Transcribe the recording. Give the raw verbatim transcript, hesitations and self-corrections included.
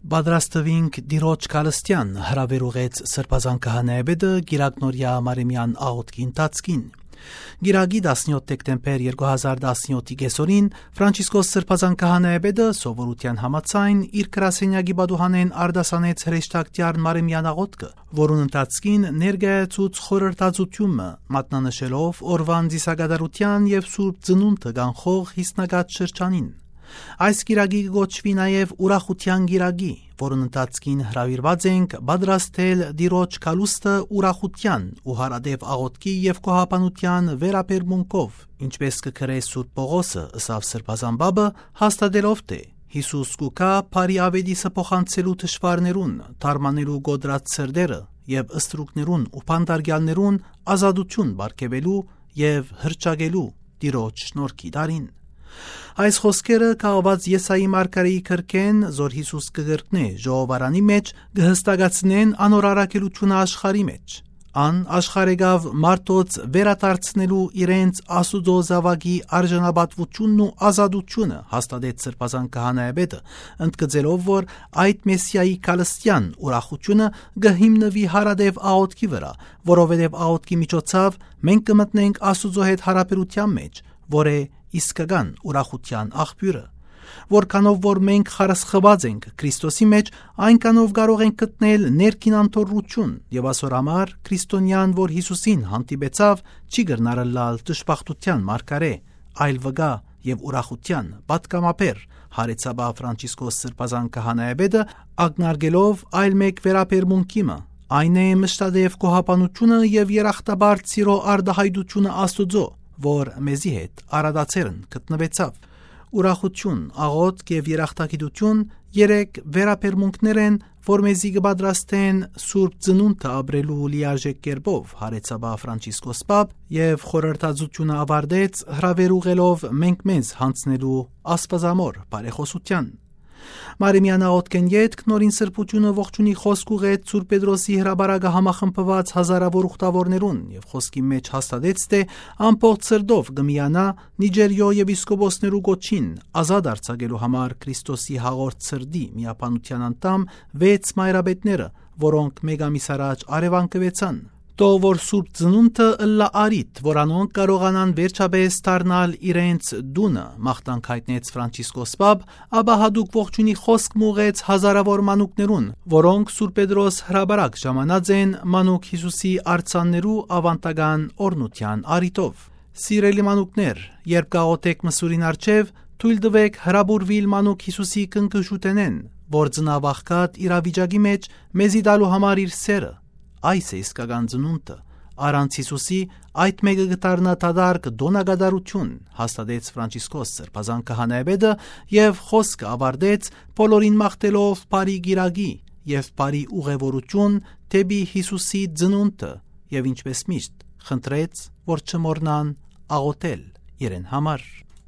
Բադրաստվինք դիրոջ կալստյան հրավերուղեց սրբազան քահանայապետը Գիրագնորյա Մարեմյան աղոթքի ընթացքին։ Գիրագի տասնյոթ դեկտեմբեր երկու հազար տասնյոթի կեսօրին Ֆրանցիսկոս սրբազան քահանայապետը սովորության համաձայն իր գրասենյակի բադուհանեն արդասանեց հրեշտակտյար Մարեմյան աղոթքը, որուն ընթացքին ներկայացուց խորհրդածությունը, մատնանշելով օրվան ծիսակատարության եւ Սուրբ Ծնունդը կանխող հիսնագած շրջանին։ Այս գիրագի կոչվի նաև ուրախության գիրագի, որն ընթացքին հրավիրված ենք պատրաստել դիրոջ կալուստը ուրախության ու հարադեպ աղոթքի եւ կոհապանության վերաբերմունքով, ինչպես կգրե Սուրբ Պողոսը ըսավ սրբազան բաբը, հաստատելով թե Հիսուս կուքա բարի ավետիսը փոխանցելու թշվառներուն, թարմանելու գոդրած սրդերը եւ ըստրուկներուն ու փանդարգյալներուն ազատություն բարգեւելու եւ հրճագելու դիրոջ շնորհքի դարին։ Այս խոսքերը կահված Եսայի մարգարեի քրքեն, զոր Հիսուս կգրտնե ժողովարանի մեջ, կհստակացնեն անոր առաքելությունը աշխարհի մեջ։ Ան աշխարհեգավ մարդոց վերադարձնելու իրենց Աստուծո զավակի արժանապատվությունն ու ազատությունը հաստատեց սրբազան քահանայապետը, ընդգծելով, որ այդ մեսիայի կալստյան ուրախությունը կհիմնվի հարադեպ աղոթքի վրա, որովհետև աղոթքի միջոցով մենք կմտնենք Աստուծո հետ հարաբերության մեջ, որ է իսկական ուրախության աղբյուրը, որքանով որ մենք խարսխված ենք Քրիստոսի մեջ, այնքանով կարող ենք գտնել ներքին անթոռություն եւ ասոր համար քրիստոնյան, որ Հիսուսին հանդիպեցավ, չի գտնարել դժբախտության մարգարե, այլ վգա եւ ուրախության պատկամաբեր հարեցաբա Ֆրանցիսկոս սրբազան քահանայապետը ակնարկելով այլ մեկ վերաբերմունքիմը, այն է մշտադեպ կոհապանությունը եւ երախտաբար ծիրո արդահայտությունը Աստուծո, որ մեզի հետ արադացերն գտնվեցավ։ Ուրախություն, աղոթք եւ երախտագիտություն երեք վերաբերմունքներ են, որ մեզի կպատրաստեն Սուրբ Ծնունդը ապրելու լիարժեք կերպով, հարեցաբա Ֆրանցիսկոս պապ եւ խորհրդածությունը ավարտեց հրավերուղելով մենք մեզ հանձնելու աստվածամոր բարեխոսության։ Մարեմյան աղոթքեն ետք նորին սրբությունը ողջունի խոսք ուղեց Սուրբ Պետրոսի հրաբարակը համախմբված հազարավոր ուխտավորներուն եւ խոսքի մեջ հաստատեց թե ամբողջ սրտով կմիանա Նիջերիո եպիսկոպոսներու գոչին ազատ արձակելու համար Քրիստոսի հաղորդ սրդի միապանության անդամ վեց մայրաբետները, որոնք մեկ ամիս առաջ արևանկվեցան։ Թող որ Սուրբ Ծնունդը ըլլա արիտ, որ անոնք կարողանան վերջապես դառնալ իրենց դունը, մաղթանք հայտնեց Ֆրանցիսկոս պապ, ապա հատուկ ողջունի խոսք մուղեց հազարավոր մանուկներուն, որոնք Սուրբ Պետրոս հրաբարակ ժամանած են մանուկ Հիսուսի արձաններու ավանդական օրնության արիտով։ Սիրելի մանուկներ, երբ գաղութեք մսուրին արջև, թույլ տվեք հրաբուրվիլ մանուկ Հիսուսի կնկշուտենեն, որ ծնավաղկատ իրավիճակի մեջ մեզի տալու համար իր սերը։ Այս է իսկական ծնունդը, առանց Հիսուսի այդ մեկը գտարնա տադարկ դոնագադարություն, հաստատեց Ֆրանցիսկոս սրբազան քահանայապետը եւ խոսքը ավարտեց բոլորին մաղթելով բարի գիրագի եւ բարի ուղևորություն դեպի Հիսուսի ծնունդը եւ ինչպես միշտ խնդրեց, որ չմոռնան աղոթել իրեն համար։